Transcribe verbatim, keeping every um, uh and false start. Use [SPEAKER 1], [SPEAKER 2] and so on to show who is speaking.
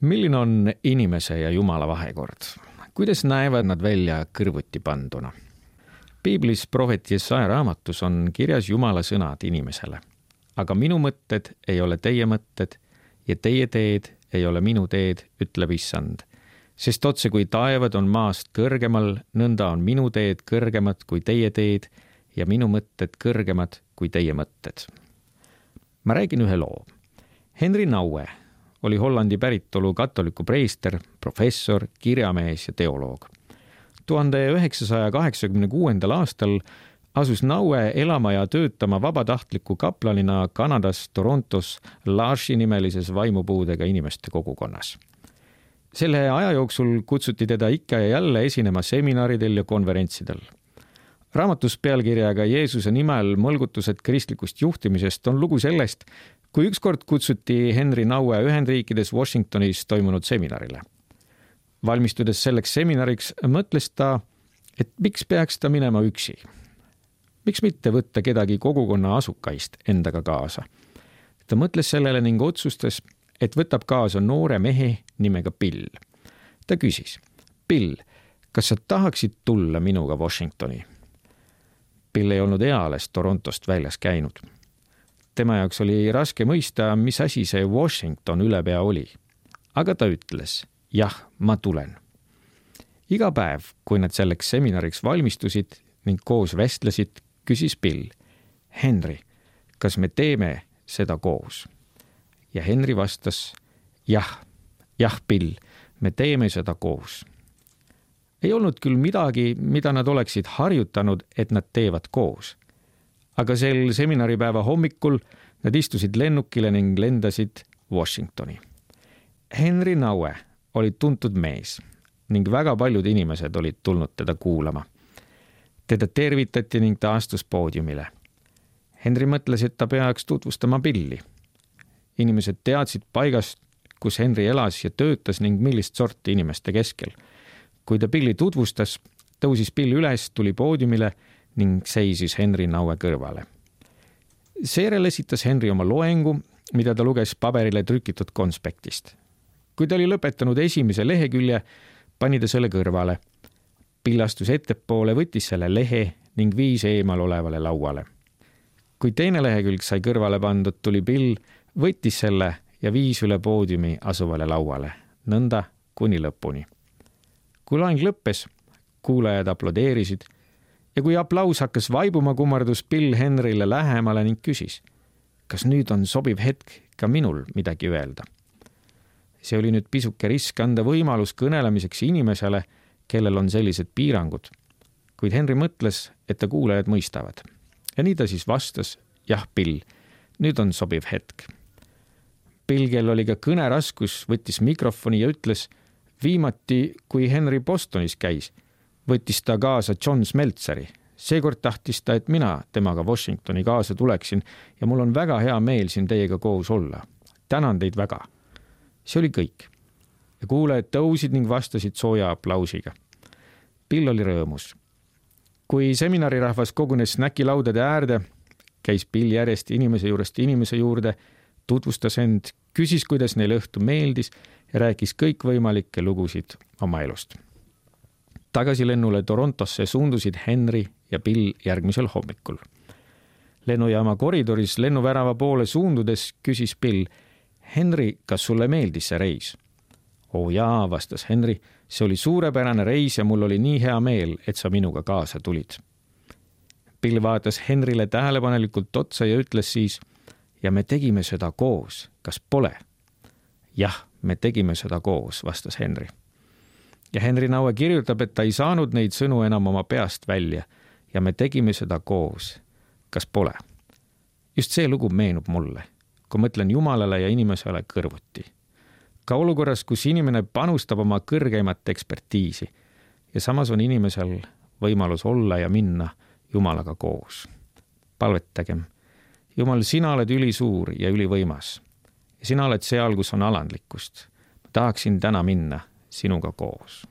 [SPEAKER 1] Milline on inimese ja Jumala vahekord? Kuidas näevad nad välja kõrvuti panduna? Piiblis prohvet Jesaja raamatus on kirjas Jumala sõnad inimesele. Aga minu mõtted ei ole teie mõtted ja teie teed ei ole minu teed, ütleb Issand. Sest otse kui taevad on maast kõrgemal, nõnda on minu teed kõrgemad kui teie teed ja minu mõtted kõrgemad kui teie mõtted. Ma räägin ühe loo. Henry Nouwen oli Hollandi päritolu katoliku preester, professor, kirjamees ja teoloog. tuhande üheksasaja kaheksakümne kuuendal aastal asus Nouwen elama ja töötama vabatahtliku kaplanina Kanadas Torontos L'Arche nimelises vaimupuudega inimeste kogukonnas. Selle aja jooksul kutsuti teda ikka ja jälle esinema seminaridel ja konverentsidel. Raamatus pealkirjaga Jeesuse nimel mõlgutused kristlikust juhtimisest on lugu sellest, kui ükskord kutsuti Henry Nouwen Ühendriikides Washingtonis toimunud seminarile. Valmistudes selleks seminariks mõtles ta, et miks peaks ta minema üksi. Miks mitte võtta kedagi kogukonna asukaist endaga kaasa. Ta mõtles sellele ning otsustas, et võtab kaasa noore mehe nimega Bill. Ta küsis, Bill, kas sa tahaksid tulla minuga Washingtoni? Bill ei olnud eales Torontost väljas käinud. Tema jaoks oli raske mõista, mis asi see Washington ülepea oli. Aga ta ütles, jah, ma tulen. Iga päev, kui nad selleks seminariks valmistusid ning koos vestlesid, küsis Bill, Henry, kas me teeme seda koos? Ja Henry vastas, jah, jah, Bill, me teeme seda koos. Ei olnud küll midagi, mida nad oleksid harjutanud, et nad teevad koos. Aga sel seminaripäeva hommikul nad istusid lennukile ning lendasid Washingtoni. Henry Nouwen oli tuntud mees ning väga paljud inimesed olid tulnud teda kuulama. Teda tervitati ning ta astus poodiumile. Henry mõtles, et ta peaks tutvustama Billi. Inimesed teadsid paigast, kus Henry elas ja töötas ning millist sorti inimeste keskel. Kui ta Billi tutvustas, tõusis Bill üles, tuli poodiumile ning seisis Henry Nouwen kõrvale. Seejärel esitas Henry oma loengu, mida ta luges paberile trükitud konspektist. Kui ta oli lõpetanud esimese lehekülje, pani ta selle kõrvale. Bill astus ettepoole, võttis selle lehe ning viis eemal olevale lauale. Kui teine lehekülg sai kõrvale pandud, tuli Bill, võttis selle ja viis üle poodiumi asuvale lauale, nõnda kuni lõpuni. Kui loeng lõppes, kuulajad aplodeerisid ja kui aplaus hakkas vaibuma, kummardus Bill Henryle lähemale ning küsis, kas nüüd on sobiv hetk ka minul midagi öelda. See oli nüüd pisuke risk anda võimalus kõnelemiseks inimesele, kellel on sellised piirangud, kuid Henry mõtles, et ta kuulajad mõistavad. Ja nii ta siis vastas, jah, Bill, nüüd on sobiv hetk. Bill, kel oli ka kõneraskus, võttis mikrofoni ja ütles, viimati, kui Henry Bostonis käis, võttis ta kaasa John Smeltseri. Seekord tahtis ta, et mina temaga Washingtoni kaasa tuleksin ja mul on väga hea meel siin teiega koos olla. Tänan teid väga. See oli kõik. Ja kuulajad tõusid ning vastasid sooja aplausiga. Bill oli rõõmus. Kui seminarirahvas kogunes snäkilaudade äärde, käis Bill järjest inimese juurest inimese juurde, tutvustas end, küsis, kuidas neil õhtu meeldis ja rääkis kõikvõimalikke lugusid oma elust. Tagasi lennule Torontosse suundusid Henry ja Bill järgmisel hommikul. Lennujaama koridoris lennuvärava poole suundudes küsis Bill, Henry, kas sulle meeldis see reis? Oo jaa, vastas Henry, see oli suurepärane reis ja mul oli nii hea meel, et sa minuga kaasa tulid. Bill vaatas Henryle tähelepanelikult otsa ja ütles siis, ja me tegime seda koos, kas pole? Jah, me tegime seda koos, vastas Henry. Ja Henry Nouwen kirjutab, et ta ei saanud neid sõnu enam oma peast välja ja me tegime seda koos, kas pole? Just see lugu meenub mulle, kui mõtlen Jumalale ja inimesele kõrvuti. Ka olukorras, kus inimene panustab oma kõrgeimat ekspertiisi ja samas on inimesel võimalus olla ja minna Jumalaga koos. Palvetagem. Jumal, sina oled ülisuur ja ülivõimas. Ja sina oled seal, kus on alandlikkust. Ma tahaksin täna minna sinuga koos.